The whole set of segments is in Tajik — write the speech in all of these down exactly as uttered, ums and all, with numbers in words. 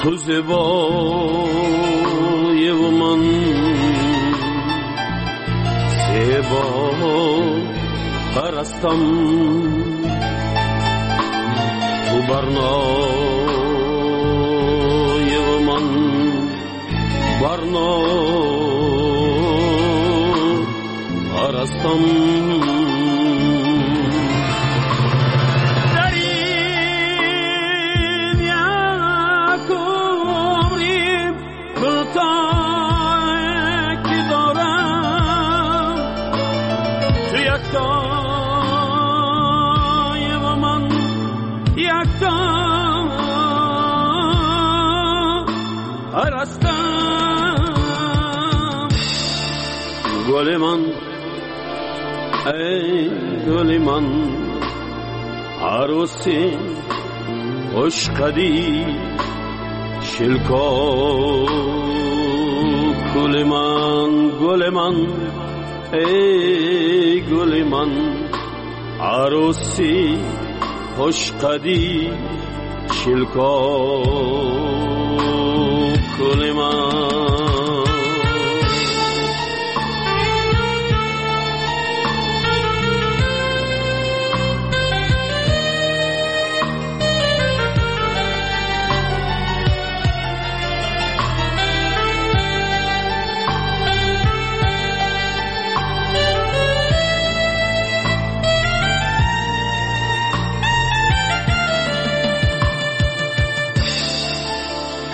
تو زیبای و من زیبا پرستم، تو برنای و من برنا پرستم. گل من ای گل من عروسی خوشقدی شلکا گل من گل من ای گل من عروسی خوشقدی شلکا گل من.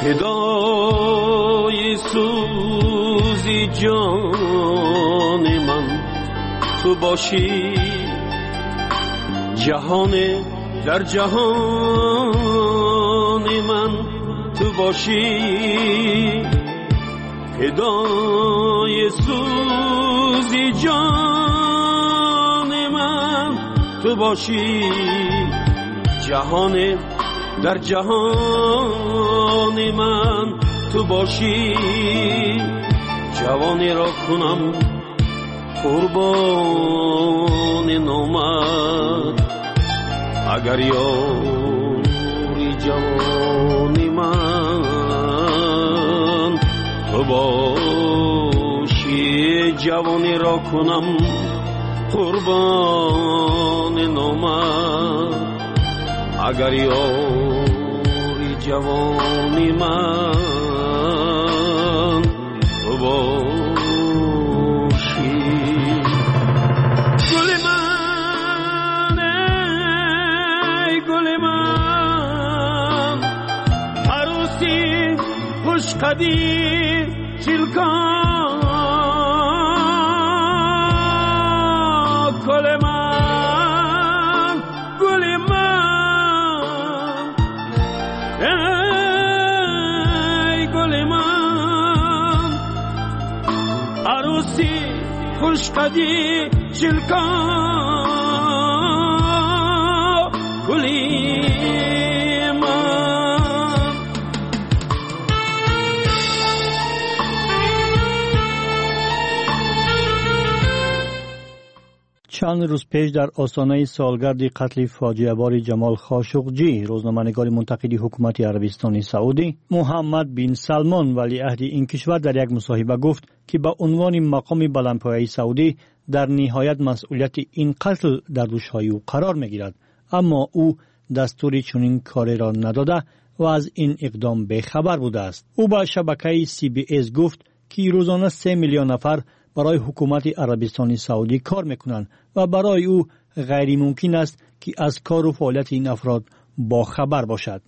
فدای سوزی جان من تو باشی، جهان در جهان من تو باشی، فدای سوزی جان من تو باشی، جهان در جهان من تو باشی، جوانی را کنم قربان نامت، اگر یاری جوانی من تو باشی، جوانی را کنم قربان نامت، اگر یاری جوانی من تو باشی. گل من ای گل من عروسی خوشقدی چلکان گل من گل من ای گل من عروسی خوشقدی چلکان گلی من. چند روز پیش در آستانه سالگرد قتل فاجعه‌بار جمال خاشقجی، روزنامه‌نگار منتقد حکومت عربستان سعودی، محمد بن سلمان ولیعهد این کشور در یک مصاحبه گفت که به عنوان مقام بلندپایه سعودی در نهایت مسئولیت این قتل در دوش‌های او قرار می‌گیرد، اما او دستور چنین کاری را نداده و از این اقدام بی‌خبر بوده است. او به شبکه سی بی اس گفت که روزانه سه میلیون نفر برای حکومت عربستان سعودی کار میکنند و برای او غیر ممکن است که از کار و فعالیت این افراد با خبر باشد.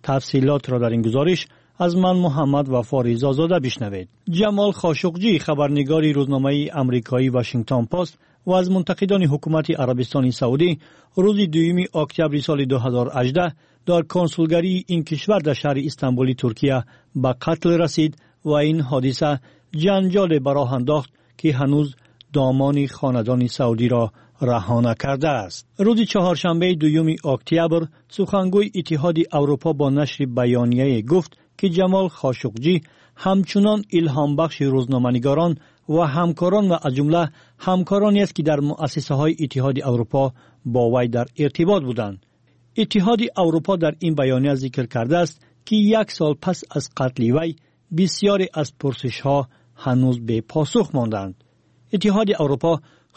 تفصیلات را در این گزارش از من محمد وفا رضازاده بشنوید. جمال خاشقجی، خبرنگار روزنامه امریکایی واشنگتن پست و از منتقدان حکومت عربستان سعودی، روز دوم اکتبر سال دو هزار و هجده در کنسولگری این کشور در شهر استانبول ترکیه به قتل رسید و این حادثه جنجال براه انداخت که هنوز دامان خاندان سعودی را رها نکرده است. روز چهارشنبه دوم اکتبر سخنگوی اتحاد اروپا با نشر بیانیه گفت که جمال خاشقجی همچنان الهام بخش روزنامه‌نگاران و همکاران و از جمله همکارانی است که در مؤسسه های اتحاد اروپا با وی در ارتباط بودند. اتحاد اروپا در این بیانیه ذکر کرده است ки як сол пас аз қатли вай бисёре аз пурсишҳо ҳанӯз бепосух мондаанд. Иттиҳоди Аврупо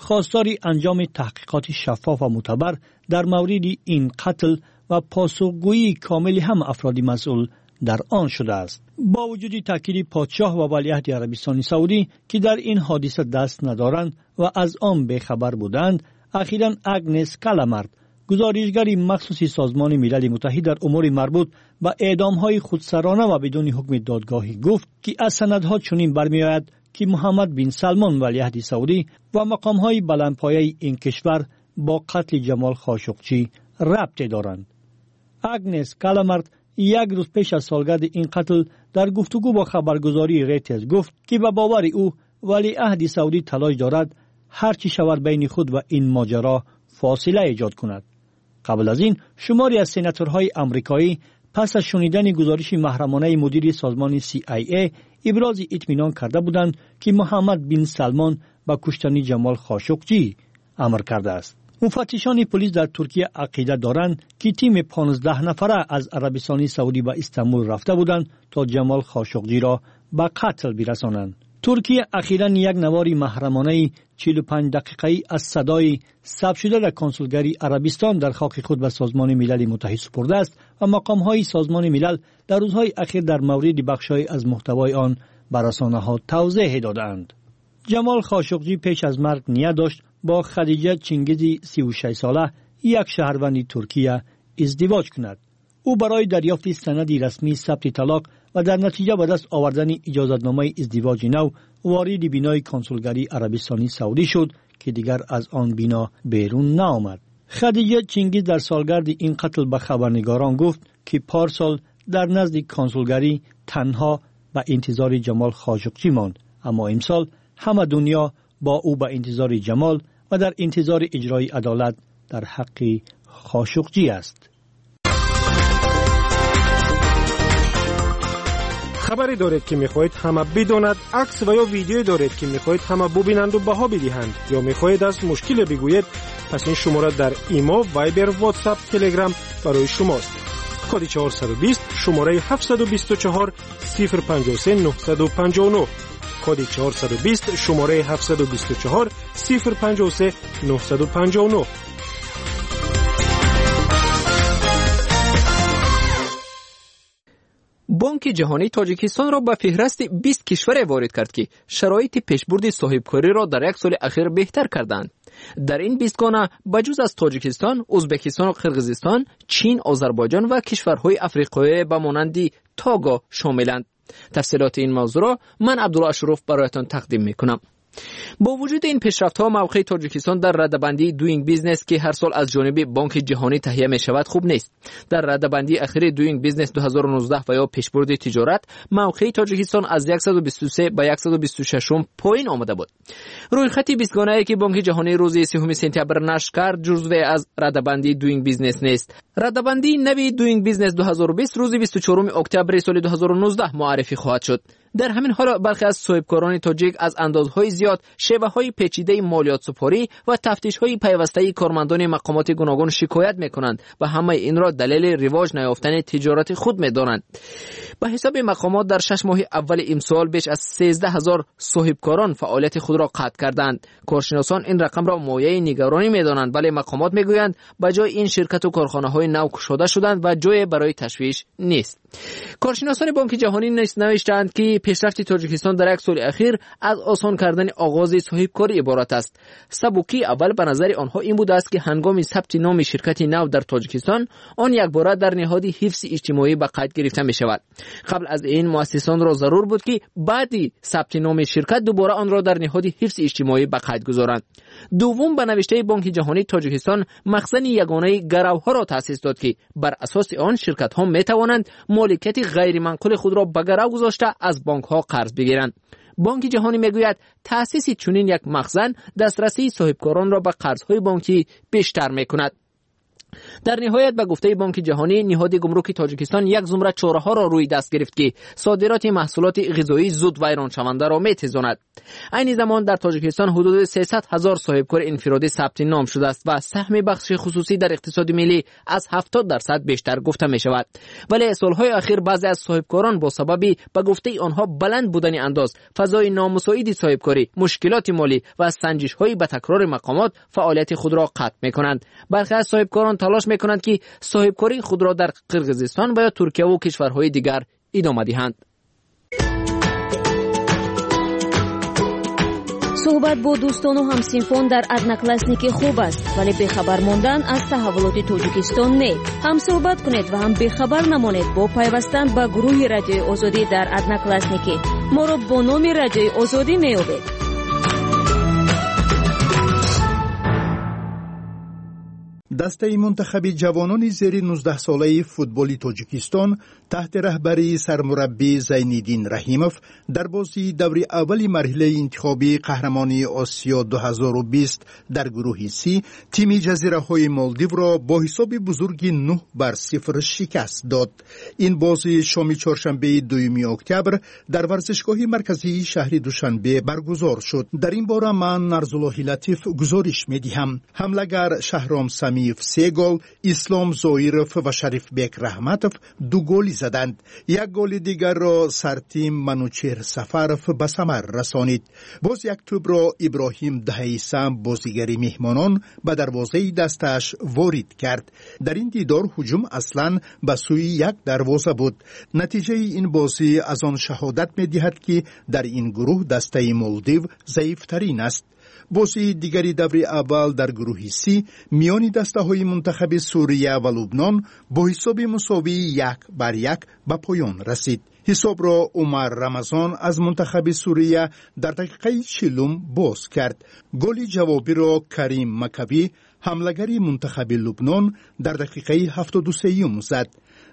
хостори анҷоми таҳқиқоти шаффоф ва мӯътабар дар мавриди ин қатл ва посухгӯии комили ҳама афроди масъул дар он шудааст. Бо вуҷуди таъкиди подшоҳ ва валиаҳди Арабистони Саудӣ, ки дар ин ҳодиса даст надоранд ва аз он бехабар буданд, ахиран Агнес Каламард, гузоришгари махсуси Созмони Милали Муттаҳид дар умури марбут ба эъдомҳои худсарона ва бидуни ҳукми додгоҳӣ гуфт, ки аз санадҳо чунин бармеояд ки Муҳаммад бин Салмон валиаҳди Саудӣ ва мақомҳои баландпояи ин кишвар бо қатли Ҷамол Хошуқчӣ рабте доранд. Агнес Каламард як рӯз пеш аз солгарди ин қатл дар гуфтугӯ бо хабаргузории Рейтер гуфт, ки ба бовари ӯ валиаҳди Саудӣ талош дорад ҳар чӣ шавад байни худ ва ин моҷаро фосила эҷод кунад. Қабл аз ин шумори аз сенаторҳои амрикоӣ пас аз шунидани гузориши маҳрамонаи мудири созмони Си Ай Эй ибрози итминон карда буданд, ки Муҳаммад бин Салмон ба куштани Ҷамол Хошуқчӣ амр кардааст. Муфаттишони полис дар Туркия ақида доранд, ки тими понздаҳ нафара аз Арабистони Саудӣ ба Истанбул рафта буданд то Ҷамол Хошуқҷиро ба қатл бирасонанд. Туркия ахиран як навори маҳрамонаи чилу панҷ дақиқаӣ аз садои сабт шуда дар консулгарии Арабистон дар хоки худ ба Созмони Милали Муттаҳид супурдааст ва мақомҳои Созмони Милал дар рӯзҳои ахир дар мавриди бахшҳое аз муҳтавои он ба расонаҳо тавзеҳ додаанд. Ҷамол Хошуқҷӣ пеш аз марг ният дошт бо Хадиҷа Чингизи сию шаш сола, як шаҳрванди Туркия, издивоҷ кунад. Ӯ барои дарёфти санади расмии сабти талоқ ва дар натиҷа ба даст овардани иҷозатномаи издивоҷи нав вориди бинои консулгарии Арабистони Саудӣ шуд, ки дигар аз он бино берун наомад. Хадиҷа Чингиз дар солгарди ин қатл ба хабарнигорон гуфт, ки парсол дар назди консулгарӣ танҳо ба интизори Ҷамол Хошуқчӣ монд, аммо имсол ҳама дунё бо ӯ ба интизори Ҷамол ва дар интизори иҷрои адолат дар ҳаққи Хошуқчӣ аст. Хабаре доред, ки мехоҳед ҳама бидонад, акс ва ё видеое доред, ки мехоҳед ҳама бубинанду баҳо бидиҳанд, ё мехоҳед аз мушкиле бигӯед, пас ин шумора дар Имо, Вайбер, Ватсап, Телеграм барои шумост. Коди чорсаду бист, шумораи ҳафтсаду бисту чор, сифр панҷоҳу се, нӯҳсаду панҷоҳу нӯҳ. Коди чорсаду бист, шумораи ҳафтсаду бисту чор, сифр панҷоҳу се, нӯҳсаду панҷоҳу нӯҳ. Бонки Ҷаҳонӣ Тоҷикистонро ба феҳрасти бист кишваре ворид кард, ки шароити пешбурди соҳибкориро дар як соли ахир беҳтар карданд. Дар ин бистгона ба ҷуз аз Тоҷикистон, Ӯзбекистону Қирғизистон, Чин, Озарбойҷон ва кишварҳои африқоӣ ба монанди Того шомиланд. Тафсилоти ин мавзӯъро ман Абдулло Ашуров бароятон тақдим мекунам. Бо вуҷуди ин пешрафтҳо мавқеи Тоҷикистон дар радабандии Doing Business, ки ҳар сол аз ҷониби Бонки Ҷаҳонӣ таҳия мешавад, хуб нест. Дар радабандии ахири Doing Business ду ҳазору нуздаҳ ва ё пешбурди тиҷорат мавқеи Тоҷикистон аз яксаду бисту се ба яксаду бисту шашум поин омада буд. Рӯйхати бистгонае, ки Бонки Ҷаҳонӣ рӯзи сеюми сентябр нашр кард, ҷузве аз радабандии Doing Business нест. Радабандии нави Doing Business ду ҳазору бист рӯзи бисту чоруми октябри соли ду ҳазору нуздаҳ муаррифӣ хоҳад шуд. Дар ҳамин ҳол бархе аз соҳибкорони тоҷик аз андозҳои зиёд, шеваҳои печидаи молиётсупорӣ ва тафтишҳои пайвастаи кормандони мақомоти гуногун шикоят мекунанд ва ҳамаи инро далели ривоҷ наёфтани тиҷорати худ медонанд. Ба ҳисоби мақомот дар шаш моҳи аввали имсол беш аз сездаҳ ҳазор соҳибкорон фаъолияти худро қатъ карданд. Коршиносон ин рақамро мояи нигаронӣ медонанд, вале мақомот мегӯянд ба ҷои ин ширкату корхонаҳои нав кушода шуданд ва ҷое барои ташвиш нест. Коршиносони Бонки Ҷаҳонӣ навиштаанд, ки пешрафти Тоҷикистон дар як соли ахир аз осон кардани оғози соҳибкорӣ иборат аст. Сабукии аввал ба назари онҳо ин будааст, ки ҳангоми сабти номи ширкати нав дар Тоҷикистон он якбора дар ниҳоди ҳифзи иҷтимоӣ ба қайд гирифта мешавад. Қабл аз ин муассисонро зарур буд, ки баъди сабти номи ширкат дубора онро дар ниҳоди ҳифзи иҷтимоӣ ба қайд гузоранд. Дуввум, ба навиштаи Бонки Ҷаҳонӣ Тоҷикистон махзани ягонаи гаравҳоро таъсис дод, ки бар асоси он ширкатҳо метавонанд моликияти ғайриманқули худро ба гарав гузошта аз бонкҳо қарз бигиранд. Бонки Ҷаҳонӣ мегӯяд таъсиси чунин як махзан дастрасии соҳибкоронро ба қарзҳои бонкӣ бештар мекунад. Дар ниҳоят, ба гуфтаи Бонки Ҷаҳонӣ, ниҳоди гумруки Тоҷикистон як зумра чораҳоро рӯи даст гирифт, ки содироти маҳсулоти ғизоии зуд вайроншавандаро метезонад. Айни замон дар Тоҷикистон ҳудуди сесад ҳазор соҳибкори инфиродӣ сабти ном шудааст ва саҳми бахши хусусӣ дар иқтисоди миллӣ аз ҳафтод дарсад бештар гуфта мешавад. Вале солҳои охир баъзе аз соҳибкорон бо сабаби ба гуфтаи онҳо баланд будани андоз, фазои номусоиди соҳибкорӣ, мушкилоти молӣ ва санҷишҳои ба такрори мақомот фаъолияти худро қатъ мекунанд. Бархе аз соҳибкорон талош мекунанд, ки соҳибкории худро дар Қирғизистон ва ё Туркия ва кишварҳои дигар идома диҳанд. Суҳбат бо дӯстону ҳамсинфон дар Одноклассники хуб аст, вале бехабар мондан аз таҳаввулоти Тоҷикистон не. Ҳам суҳбат кунед ва ҳам бехабар намонед бо пайвастан ба гурӯҳи Радиои Озодӣ дар Одноклассники. Моро бо номи Радиои Озодӣ меёбед. Дастаи мунтахаби ҷавонони зери нуздаҳсолаи футболи Тоҷикистон таҳти раҳбарии сармураббӣ Зайниддин Раҳимов дар бозии даври аввали марҳилаи интихобии қаҳрамонии Осиё ду ҳазору бист дар гурӯҳи Си тими ҷазираҳои Молдивро бо ҳисоби бузурги нӯҳ бар сифр шикаст дод. Ин бозӣ шоми чоршанбеи дуюми октябр дар варзишгоҳи марказии шаҳри Душанбе баргузор шуд. Дар ин бора ман Нарзуллоҳи Латиф гузориш медиҳам. Ҳамлагар Шаҳром Самиев се гол, Ислом Зоиров ва Шарифбек Раҳматов ду голи заданд. Як голи дигарро сартим Манучер Сафаров ба самар расонид. Боз як тӯбро Иброҳим Даҳаисам, бозигари меҳмонон, ба дарвозаи дастааш ворид кард. Дар ин дидор ҳуҷум аслан ба сӯи як дарвоза буд. Натиҷаи ин бозӣ аз он шаҳодат медиҳад, ки дар ин гурӯҳ дастаи Молдив заифтарин аст. Бозии дигари даври аввал дар гурӯҳи Си миёни дастаҳои мунтахаби Сурия ва Лубнон бо ҳисоби мусовии як бар як ба поён расид. Ҳисобро Умар Рамазон аз мунтахаби Сурия дар дақиқаи чилум боз кард. Голи ҷавобиро Карим Макавӣ, ҳамлагари мунтахаби Лубнон, дар дақиқаи ҳафтоду сеюм зад.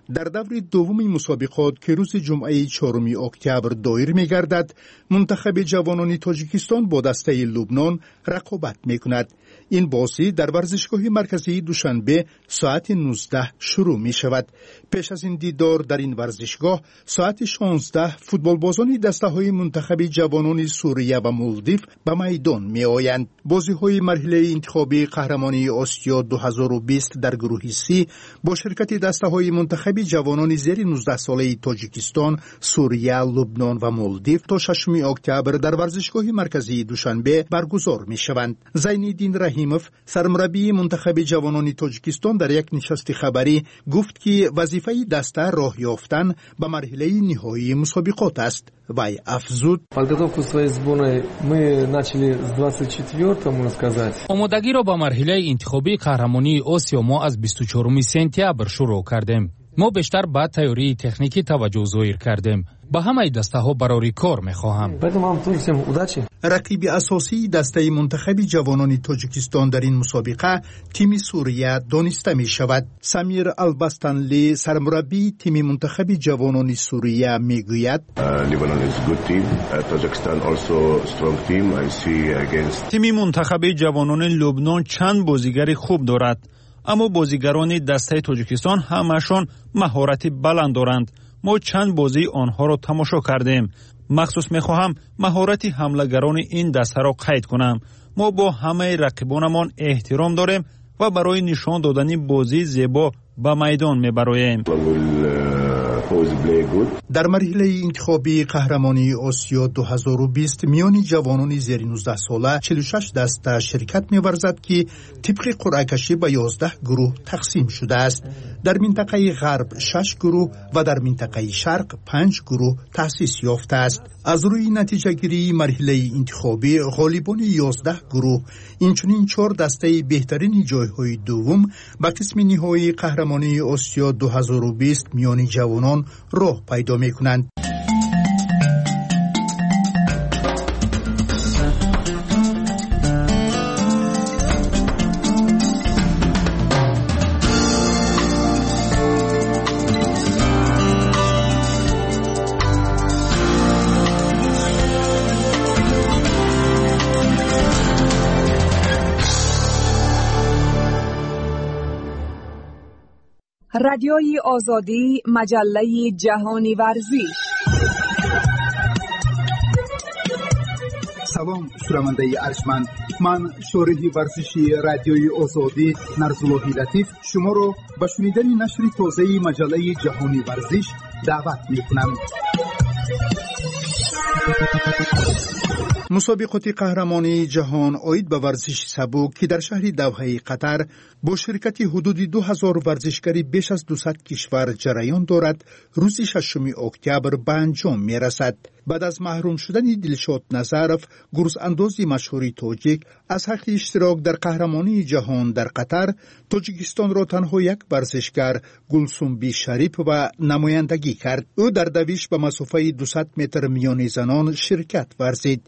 Дар даври дуввуми мусобиқот, ки рӯзи ҷумъаи чоруми октябр доир мегардад, мунтахаби ҷавонони Тоҷикистон бо дастаи Лубнон рақобат мекунад. Ин бозӣ дар варзишгоҳи марказии Душанбе соати нуздаҳ шурӯъ мешавад. Пеш аз ин дидор дар ин варзишгоҳ соати шонздаҳ футболбозони дастаҳои мунтахаби ҷавонони Сурия ва Молдив ба майдон меоянд. Бозиҳои марҳилаи интихобии қаҳрамонии Осиё ду ҳазору бист дар гурӯҳи Си бо ширкати дастаҳои мунтахаби ҷавонони зери нуздаҳсолаи Тоҷикистон, Сурия, Лубнон ва Молдив то шашуми октябр дар варзишгоҳи марказии Душанбе баргузор мешаванд. Зайниддин Раҳимов, сармураббии мунтахаби ҷавонони Тоҷикистон, дар як нишасти хабарӣ гуфт, ки вазифаи даста роҳ ёфтан ба марҳилаи ниҳоии мусобиқот аст. Вай афзуд: Подготовку своей сборной мы начали с двадцать четвёртого, можно сказать. Омодагиро ба марҳилаи интихобии қаҳрамонии Осиё мо аз бисту чоруми сентябр шурӯъ кардем. Мо бештар ба тайёрии техникӣ таваҷҷӯҳ зоҳир кардем. Ба ҳамаи дастаҳо барори кор мехоҳам. Рақиби асосии дастаи мунтахаби ҷавонони Тоҷикистон дар ин мусобиқа тими Сурия дониста мешавад. Самир Албастанли, сармураббии тими мунтахаби ҷавонони Сурия, мегӯяд: Тими мунтахаби ҷавонони Лубнон чанд бозигари хуб дорад, аммо бозигарони дастаи Тоҷикистон ҳамаашон маҳорати баланд доранд. Мо чанд бозии онҳоро тамошо кардем. Махсус мехоҳам маҳорати ҳамлагарони ин дастаро қайд кунам. Мо бо ҳамаи рақибонамон эҳтиром дорем ва барои нишон додани бозии зебо ба майдон мебароем. Дар марҳилаи интихобии қаҳрамонии Осиё ду ҳазору бист миёни ҷавонони зери нуздаҳсола чилу шаш даста ширкат меварзад, ки тибқи қуръакашӣ ба ёздаҳ гурӯҳ тақсим шудааст. Дар минтақаи ғарб шаш гурӯҳ ва дар минтақаи шарқ панҷ гурӯҳ таъсис ёфтааст. Аз рӯи натиҷагирии марҳилаи интихобӣ ғолибони ёздаҳ гурӯҳ, инчунин чор дастаи беҳтарини ҷойҳои дуввум ба қисми ниҳоии қаҳрамонии Осиё ду ҳазору бист миёни ҷавонон роҳ пайдо мекунанд. Радиои Озодӣ, маҷаллаи ҷаҳони варзиш. Салом, шунавандаи арҷманд. Ман шореҳи варзиши Радиои Озодӣ Нарзуллоҳи Латиф шуморо ба шунидани нашри тозаи маҷаллаи ҷаҳони варзиш даъват мекунам. Мусобиқоти қаҳрамонии ҷаҳон оид ба варзиши сабук, ки дар шаҳри Давҳаи Қатар бо ширкати ҳудуди ду ҳазор варзишгари беш аз дусад кишвар ҷараён дорад, рӯзи шашуми октябр ба анҷом мерасад. Баъд аз маҳрум шудани Дилшод Назаров, гурзандози машҳури тоҷик, аз ҳаққи иштирок дар қаҳрамонии ҷаҳон дар Қатар, Тоҷикистонро танҳо як варзишгар Гулсумби Шарипова намояндагӣ кард. Ӯ дар давиш ба масофаи дусад метр миёни занон ширкат варзид.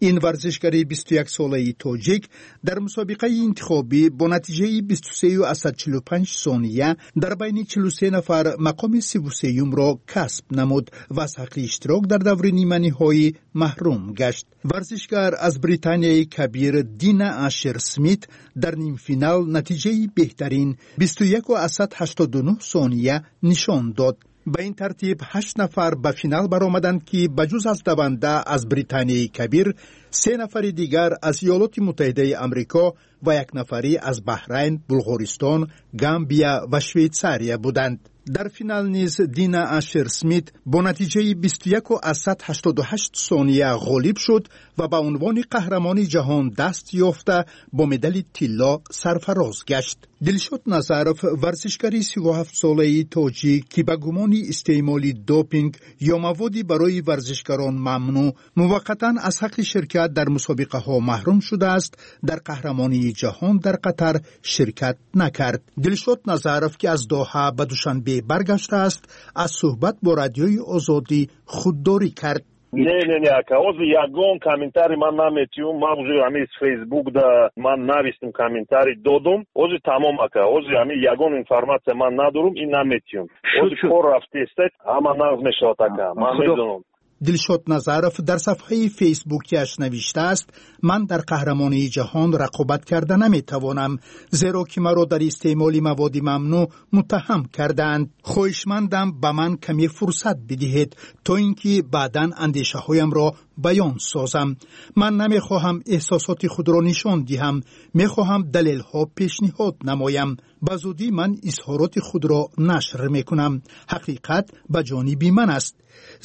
Ин варзишгари бисту як солаи тоҷик дар мусобиқаи интихобӣ бо натиҷаи бисту сею асад чилу панҷ сония дар байни чилу се нафар мақоми сиву сеюмро касб намуд ва аз ҳаққи иштирок дар даври ниманиҳоӣ маҳрум гашт. Варзишгар аз Британияи Кабир Дина Ашер Смит дар нимфинал натиҷаи беҳтарин бисту яку асад ҳаштоду нӯҳ сония нишон дод. Ба ин тартиб ҳашт нафар ба финал баромаданд, ки ба ҷуз аз даванда аз Британияи Кабир, се нафари дигар аз Иёлоти Муттаҳидаи Амрико ва як нафарӣ аз Баҳрайн, Булғористон, Гамбия ва Швейтсария буданд. Дар финал низ Дина Ашер Смит бо натиҷаи бисту яку асад ҳаштоду ҳашт сония ғолиб шуд ва ба унвони қаҳрамони ҷаҳон даст ёфта бо медали тилло сарфароз гашт. Дилшод Назаров, варзишгари сиву ҳафтсолаи тоҷик, ки ба гумони истеъмоли допинг ё маводи барои варзишгарон мамнӯъ муваққатан аз ҳаққи ширкат дар мусобиқаҳо маҳрум шудааст, дар қаҳрамонии ҷаҳон дар Қатар ширкат накард. Дилшод Назаров, ки аз Доҳа ба Душанбе баргаштааст, аз суҳбат бо Радиои Озодӣ худдорӣ кард. Не, не, не, ака, ҳозир ягон комментарий ман наметиҳум. Ман уже ҳамин Фейсбук да ман навистум, комментарий додум. Ҳозир тамом, ака, ҳозир ҳамин ягон информатсия ман надорум, ин наметиҳум. Ҳозир кор рафтеста, ҳама нағз мешавад, ака, ман медонам. Дилшод Назаров дар сафҳаи фейсбукиаш навиштааст: ман дар қаҳрамонии ҷаҳон рақобат карда наметавонам, зеро ки маро дар истеъмоли маводи мамнӯъ муттаҳам кардаанд. Хоҳишмандам ба ман каме фурсат бидиҳед, то ин ки баъдан андешаҳоямро баён созам. Ман намехоҳам эҳсосоти худро нишон диҳам, мехоҳам далелҳо пешниҳод намоям. Ба зудӣ ман изҳороти худро нашр мекунам. Ҳақиқат ба ҷониби ман аст.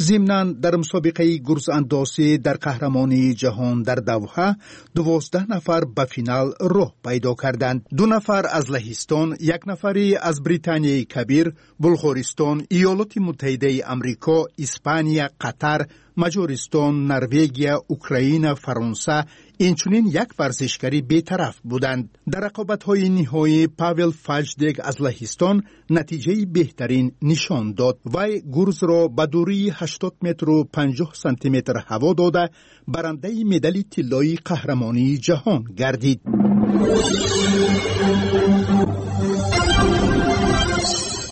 Зимнан дар мусобиқаи гурзандозӣ дар қаҳрамонии ҷаҳон дар Давҳа дувоздаҳ нафар ба финал роҳ пайдо карданд. Ду нафар аз Лаҳистон, як нафари аз Британияи Кабир, Булғористон, Иёлоти Муттаҳидаи Амрико, Испания, Қатар, Маҷористон, Норвегия, Украина, Фаронса, инчунин як варзишгари бетараф буданд. Дар рақобатҳои ниҳоӣ Павел Фаҷдек аз Лаҳистон натиҷаи беҳтарин нишон дод. Вай гурзро ба дурии ҳаштод метру панҷоҳ сантиметр ҳаво дода, барандаи медали тиллои қаҳрамонии ҷаҳон гардид.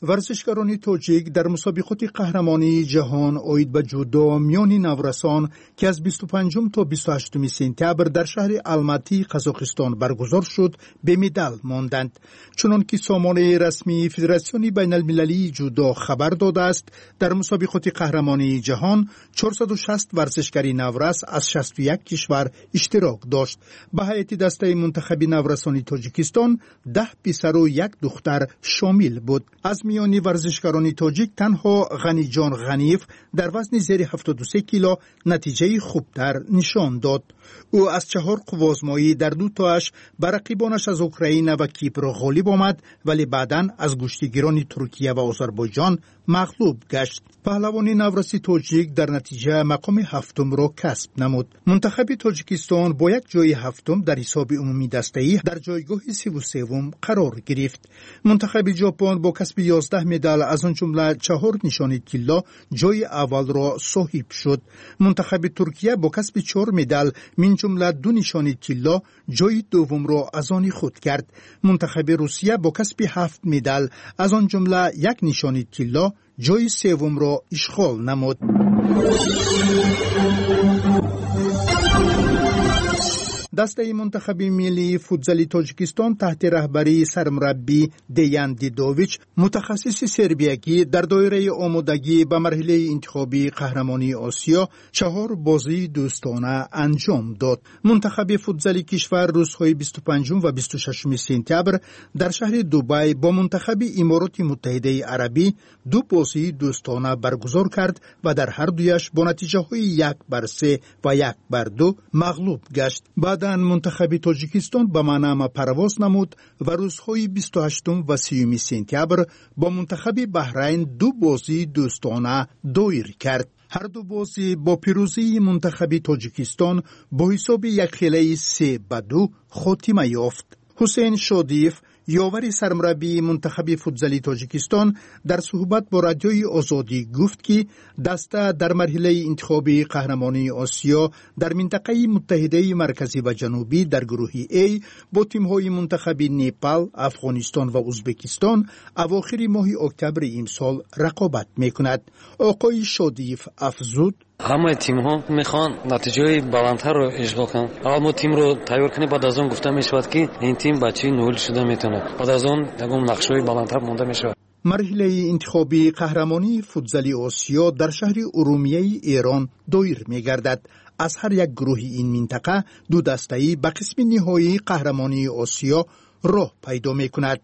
Варзишгарони тоҷик дар мусобиқоти қаҳрамонии ҷаҳон оид ба ҷудо миёни наврасон, ки аз бисту панҷум то бисту ҳаштуми сентябр дар шаҳри Алматии Қазоқистон баргузор шуд, бемедал монданд. Чунон ки сомонаи расмии Федератсиони байналмилалии ҷудо хабар додааст, дар мусобиқоти қаҳрамонии ҷаҳон чорсаду шаст варзишгари наврас аз шасту як кишвар иштирок дошт. Ба ҳайати дастаи мунтахаби наврасони Тоҷикистон даҳ писару як духтар шомил буд. Аз миёни варзишгарони тоҷик танҳо Ғаниҷон Ғаниев дар вазни зери ҳафтоду се кило натиҷаи хубтар нишон дод. Ӯ аз чаҳор қуввозмоӣ дар ду тоаш ба рақибонаш аз Украина ва Кипр ғолиб омад, вале баъдан аз гӯштигирони Туркия ва Озарбойҷон мағлуб гашт. Паҳлавони навраси тоҷик дар натиҷа мақоми ҳафтумро касб намуд. Мунтахаби Тоҷикистон бо як ҷои ҳафтум дар ҳисоби умумии дастаӣ дар ҷойгоҳи сиву севум қарор гирифт. Мунтахаби Ҷопон бо касби ёздаҳ медал, аз он ҷумла чаҳор нишони тилло, ҷои аввалро соҳиб шуд. Мунтахаби Туркия бо касби чор медал, мин ҷумла ду нишони тилло, ҷои дуввумро аз они худ кард. Мунтахаби Русия бо касби ҳафт медал, аз он ҷумла як нишони тилло, ҷои севумро ишғол намуд. Дастаи мунтахаби миллии футзали Тоҷикистон таҳти раҳбарии сармураббӣ Деян Дидович, мутахассиси сербиягӣ, дар доираи омодагӣ ба марҳилаи интихобии қаҳрамонии Осиё чаҳор бозии дӯстона анҷом дод. Мунтахаби футзали кишвар рӯзҳои бисту панҷум ва бисту шашуми сентябр дар шаҳри Дубай бо мунтахаби Имороти Муттаҳидаи Арабӣ ду бозии дӯстона баргузор кард ва дар ҳар дуяш бо натиҷаҳои як бар се ва як бар ду мағлуб гашт. Баъдан мунтахаби Тоҷикистон ба Манама парвоз намуд ва рӯзҳои бисту ҳаштум ва сиюми сентябр бо мунтахаби Баҳрайн ду бозии дӯстона доир кард. Ҳар ду бозӣ бо пирӯзии мунтахаби Тоҷикистон бо ҳисоби якхелаи се ба ду хотима ёфт. Ҳусейн Шодиев, ёвари сармураббии мунтахаби футзали Тоҷикистон, дар суҳбат бо Радиои Озодӣ гуфт, ки даста дар марҳилаи интихобии қаҳрамонии Осиё дар минтақаи Муттаҳидаи Марказӣ ва Ҷанубӣ дар гурӯҳи А бо тимҳои мунтахаби Непал, Афғонистон ва Узбекистон авохири моҳи октябри имсол рақобат мекунад. Оқои Шодиев афзуд: ҳамаи тимҳо мехоҳанд натиҷаҳои баландтарро ишғол кунанд. Аввал мо тимро тайёр кунем, баъд аз он гуфта мешавад, ки ин тим ба чӣ ноил шуда метавонад. Баъд аз он ягон нақшаҳои баландтар монда мешавад. Марҳилаи интихобии қаҳрамонии футзали Осиё дар шаҳри Урумияи Эрон доир мегардад. Аз ҳар як гурӯҳи ин минтақа ду дастаӣ ба қисми ниҳоии қаҳрамонии Осиё роҳ пайдо мекунад.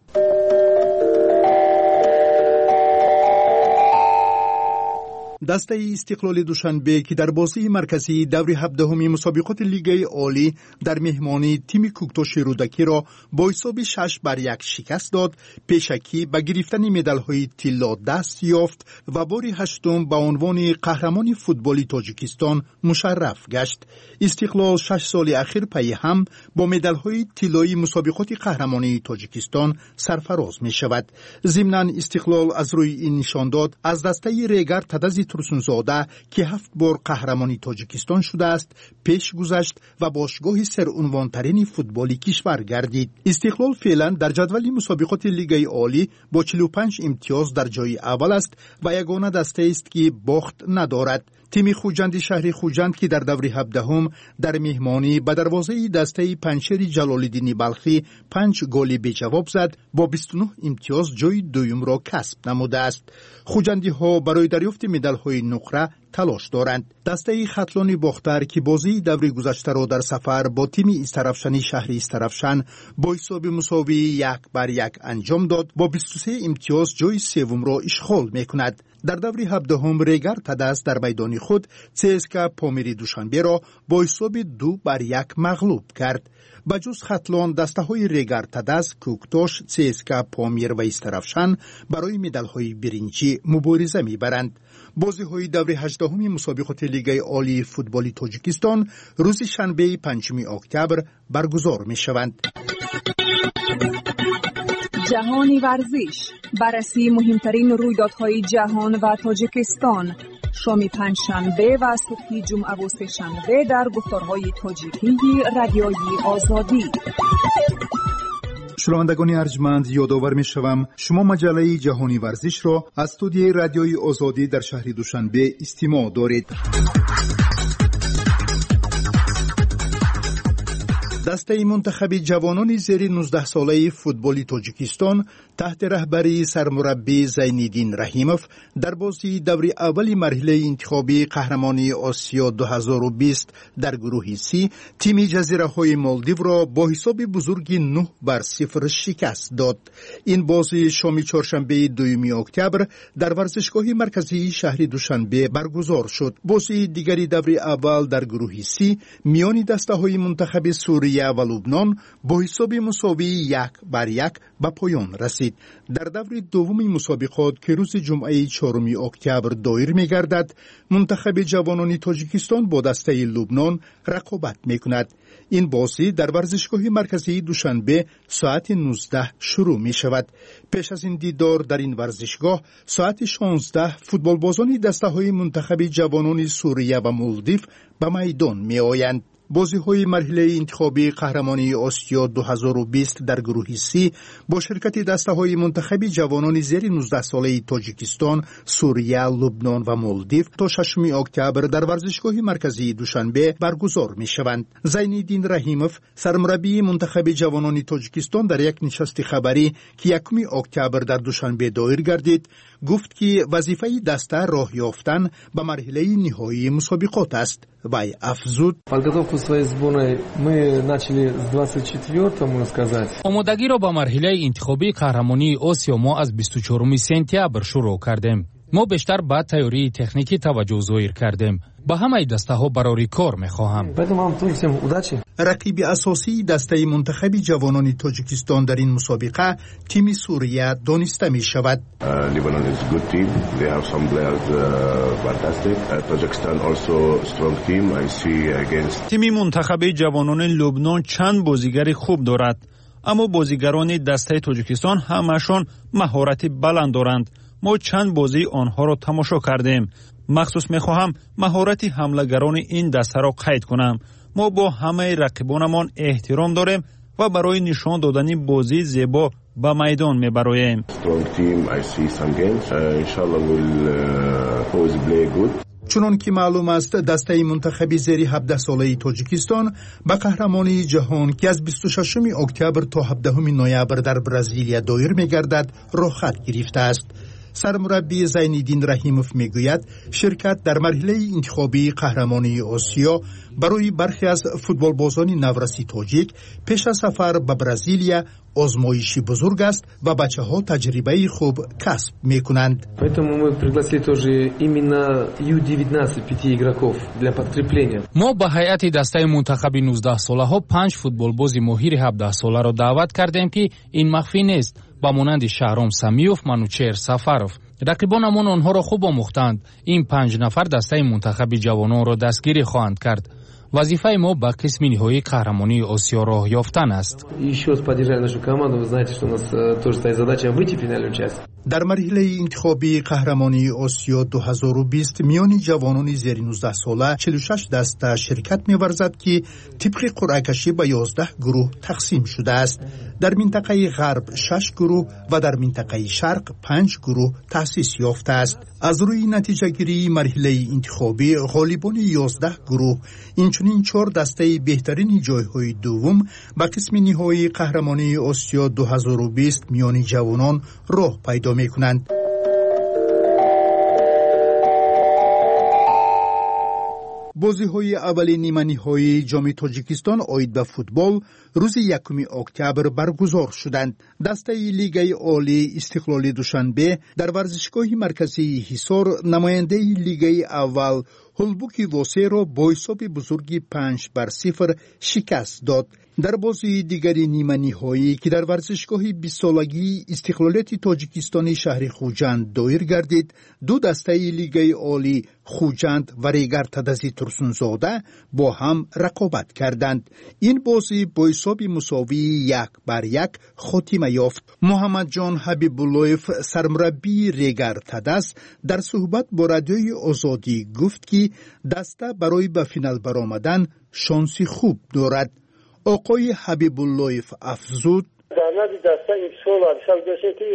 Дастаи Истиқлоли Душанбе, ки дар бозии марказии даври ҳабдаҳуми мусобиқоти Лигаи Олӣ дар меҳмонии тими Кӯктоши Рӯдакиро бо ҳисоби шаш бар як шикаст дод, пешакӣ ба гирифтани медалҳои тилло даст ёфт ва бори ҳаштум ба унвони қаҳрамони футболи Тоҷикистон мушарраф гашт. Истиқлол шаш соли ахир пайи ҳам бо медалҳои тиллоии мусобиқоти қаҳрамонии Тоҷикистон сарфароз мешавад. Зимнан Истиқлол аз рӯи ин нишондод аз дастаи Регар Тадази Турсунзода, ки ҳафт бор қаҳрамони Тоҷикистон шудааст, пеш гузашт ва бошгоҳи серунвонтарини футболи кишвар гардид. Истиқлол феълан дар ҷадвали мусобиқоти Лигаи Олӣ бо чилу панҷ имтиёз дар ҷои аввал аст ва ягона дастаест, ки бохт надорад. Тими Хуҷанди шаҳри Хуҷанд, ки дар даври ҳабдаҳум дар меҳмонӣ ба дарвозаи дастаи Панҷшери Ҷалолиддини Балхӣ панҷ голи беҷавоб зад, бо бисту нӯҳ имтиёз ҷои дуюмро касб намудааст. Хуҷандиҳо барои дарёфти медалҳои нуқра талош доранд. Дастаи Хатлони Бохтар, ки бозии даври гузаштаро дар сафар бо тими Истарафшани шаҳри Истарафшан бо ҳисоби мусовии як бар як анҷом дод, бо бисту се имтиёз ҷои севумро ишғол мекунад. Дар даври ҳабдаҳум Регар Тадас дар майдони худ ЦСКА Помири Душанберо бо ҳисоби ду бар як мағлуб кард. Ба ҷуз Хатлон, дастаҳои Регар Тадас, Кӯктош, ЦСКА Помир ва Истарафшан барои медалҳои биринҷӣ мубориза мебаранд. Бозиҳои даври ҳаждаҳуми мусобиқоти Лигаи Олии футболи Тоҷикистон рӯзи шанбеи панҷуми октябр баргузор мешаванд. Ҷаҳони варзиш, баррасии муҳимтарин рӯйдодҳои ҷаҳон ва Тоҷикистон. Шоми панҷшанбе ва субҳи ҷумъаву сешанбе дар гуфторҳои тоҷикии Радиои Озодӣ. Шунавандагони арҷманд, ёдовар мешавам, шумо маҷаллаи Ҷаҳони варзишро аз студияи Радиои Озодӣ дар шаҳри Душанбе истимоъ доред. Дастаи мунтахаби ҷавонони зери нуздаҳсолаи футболи Тоҷикистон таҳти раҳбарии сармураббӣ Зайниддин Раҳимов дар бозии даври аввали марҳилаи интихобии қаҳрамонии Осиё ду ҳазору бист дар гурӯҳи Си тими ҷазираҳои Молдивро бо ҳисоби бузурги нӯҳ бар сифр шикаст дод. Ин бозӣ шоми чоршанбеи дуюми октябр дар варзишгоҳи марказии шаҳри Душанбе баргузор шуд. Бозии дигари даври аввал дар гурӯҳи Си миёни дастаҳои мунтахаби Сурия ва Лубнон бо ҳисоби мусовии як бар як ба поён расид. Дар даври дуввуми мусобиқот, ки рӯзи ҷумъаи чоруми октябр доир мегардад, мунтахаби ҷавонони Тоҷикистон бо дастаи Лубнон рақобат мекунад. Ин бозӣ дар варзишгоҳи марказии Душанбе соати нуздаҳ шурӯъ мешавад. Пеш аз ин дидор дар ин варзишгоҳ соати шонздаҳ футболбозони дастаҳои мунтахаби ҷавонони Сурия ва Молдив ба майдон меоянд. Бозиҳои марҳилаи интихобии қаҳрамонии Осиё ду ҳазору бист дар гурӯҳи Си бо ширкати дастаҳои мунтахаби ҷавонони зери нуздаҳсолаи Тоҷикистон, Сурия, Лубнон ва Молдив то шашуми октябр дар варзишгоҳи марказии Душанбе баргузор мешаванд. Зайниддин Раҳимов, сармураббии мунтахаби ҷавонони Тоҷикистон, дар як нишасти хабарӣ, ки якуми октябр дар Душанбе доир гардид, гуфт, ки вазифаи даста роҳ ёфтан ба марҳилаи ниҳоии мусобиқот аст. Вай афзуд: Подготовку своей сборной мы начали с двадцать четвёртого, можно сказать. Омодагиро ба марҳилаи интихобии қаҳрамонии Осиё мо аз бисту чоруми сентябр шурӯъ кардем. Мо бештар ба тайёрии техникӣ таваҷҷӯҳ зоҳир кардем. Ба ҳамаи дастаҳо барори кор мехоҳам. Поэтому вам тоже всем удачи. Рақиби асосии дастаи мунтахаби ҷавонони Тоҷикистон дар ин мусобиқа тими Сурия дониста мешавад. Lebanon is good team. They have some players fantastic. Tajikistan also strong team. I see against. Тими мунтахаби ҷавонони Лубнон чанд бозигари хуб дорад, аммо бозигарони дастаи Тоҷикистон ҳамаашон маҳорати баланд доранд. Мо чанд бозии онҳоро тамошо кардем. Махсус мехоҳам маҳорати ҳамлагарони ин дастаро қайд кунам. Мо бо ҳамаи рақибонамон эҳтиром дорем ва барои нишон додани бозии зебо ба майдон мебароем. Чунон ки маълум аст, дастаи мунтахаби зери ҳабдаҳсолаи Тоҷикистон ба қаҳрамонии ҷаҳон, ки аз бисту шашуми октябр то ҳабдаҳуми ноябр дар Бразилия доир мегардад, роҳхат гирифтааст. Сармураббӣ Зайниддин Раҳимов мегӯяд, ширкат дар марҳилаи интихобии қаҳрамонии Осиё барои бархе аз футболбозони навраси тоҷик пеш аз сафар ба Бразилия озмоиши бузург аст ва бачаҳо таҷрибаи хуб касб мекунанд. Поэтому мы пригласили тоже именно Ю девятнадцать пяти игроков для подкрепления. Мо ба ҳайати дастаи мунтахаби нуздаҳсолаҳо панҷ футболбози моҳири ҳабдаҳсоларо даъват кардем, ки ин махфӣ нест, ба монанди Шаҳром Самиёв, Манучеҳр Сафаров. Рақибонамон онҳоро хуб омӯхтанд. Ин панҷ нафар дастаи мунтахаби ҷавононро дастгирӣ хоҳанд кард. Вазифаи мо ба қисми ниҳоии қаҳрамонии Осиё роҳ ёфтан аст. Еще раз поддержали нашу команду. Вы знаете, что у нас тоже стоит задача выйти в финальную часть. Дар марҳилаи интихобии қаҳрамонии Осиё ду ҳазору бист миёни ҷавонони зери нуздаҳсола чилу шаш даста ширкат меварзад, ки тибқи қуръакашӣ ба ёздаҳ гурӯҳ тақсим шудааст. Дар минтақаи ғарб шаш гурӯҳ ва дар минтақаи шарқ панҷ гурӯҳ таъсис ёфтааст. Аз рӯи натиҷагирии марҳилаи интихобӣ ғолибони ёздаҳ гурӯҳ, инчунин чор дастаи беҳтарини ҷойҳои дуввум ба қисми ниҳоии қаҳрамонии Осиё ду ҳазору бист миёни ҷавонон роҳ пайдо мекунанд. Бозиҳои аввали ниманиҳоии ҷоми Тоҷикистон оид ба футбол рӯзи якуми октябр баргузор шуданд. Дастаи Лигаи Олии Истиқлоли Душанбе дар варзишгоҳи марказии Ҳисор намояндаи Лигаи аввал Ҳулбуки Восеро бо ҳисоби бузурги панҷ бар сифр шикаст дод. Дар бозии дигари ниманиҳоӣ, ки дар варзишгоҳи бистсолагии истиқлолияти Тоҷикистони шаҳри Хуҷанд доир гардид, ду дастаи Лигаи Олӣ Хуҷанд ва Регар Тадази Турсунзода бо ҳам рақобат карданд. Ин бозӣ бо ҳисоби мусовии як бар як хотима ёфт. Муҳаммадҷон Ҳабибуллоев, сармураббии Регар Тадаз, дар суҳбат бо Радиои Озодӣ гуфт, ки даста барои ба финал баромадан шонси хуб дорад. Оқои Ҳабибуллоев афзуд: дар назди даста имсол ҳисоб доштем, ки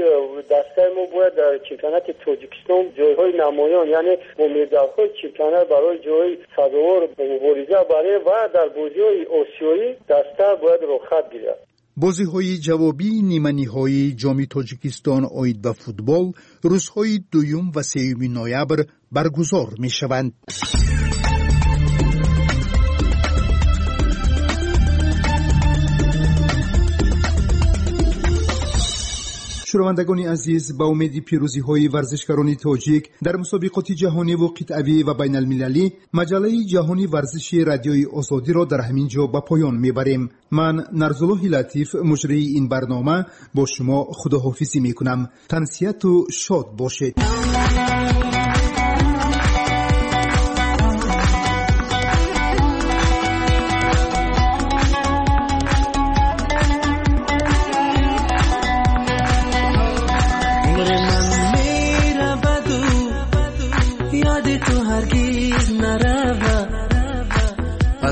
дастаи мо бояд дар чемпионати Тоҷикистон ҷойҳои намоён, яъне бо медалҳои чемпионат барои ҷойи сазовор мубориза барем ва дар бозиҳои осиёӣ даста бояд роҳхат гирад. Бозиҳои ҷавобии ниманиҳоии ҷоми Тоҷикистон оид ба футбол рӯзҳои дуюм ва сеюми ноябр баргузор мешаванд. Шунавандагони азиз, ба умеди пирӯзиҳои варзишгарони тоҷик дар мусобиқоти ҷаҳониву қитъавӣ ва байналмилалӣ, маҷаллаи ҷаҳони варзиши Радиои Озодиро дар ҳамин ҷо ба поён мебарем. Ман Нарзуллоҳи Латиф, муҷрии ин барнома, бо шумо худоҳофизӣ мекунам. Тансиҳату шод бошед.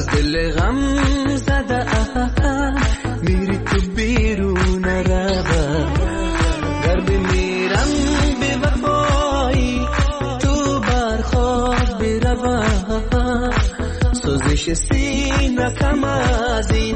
از دل دل غم زده میری تو بیرون روا گر بمیرم بی وفایی تو بر خاک بروا سوزش سینه کم از این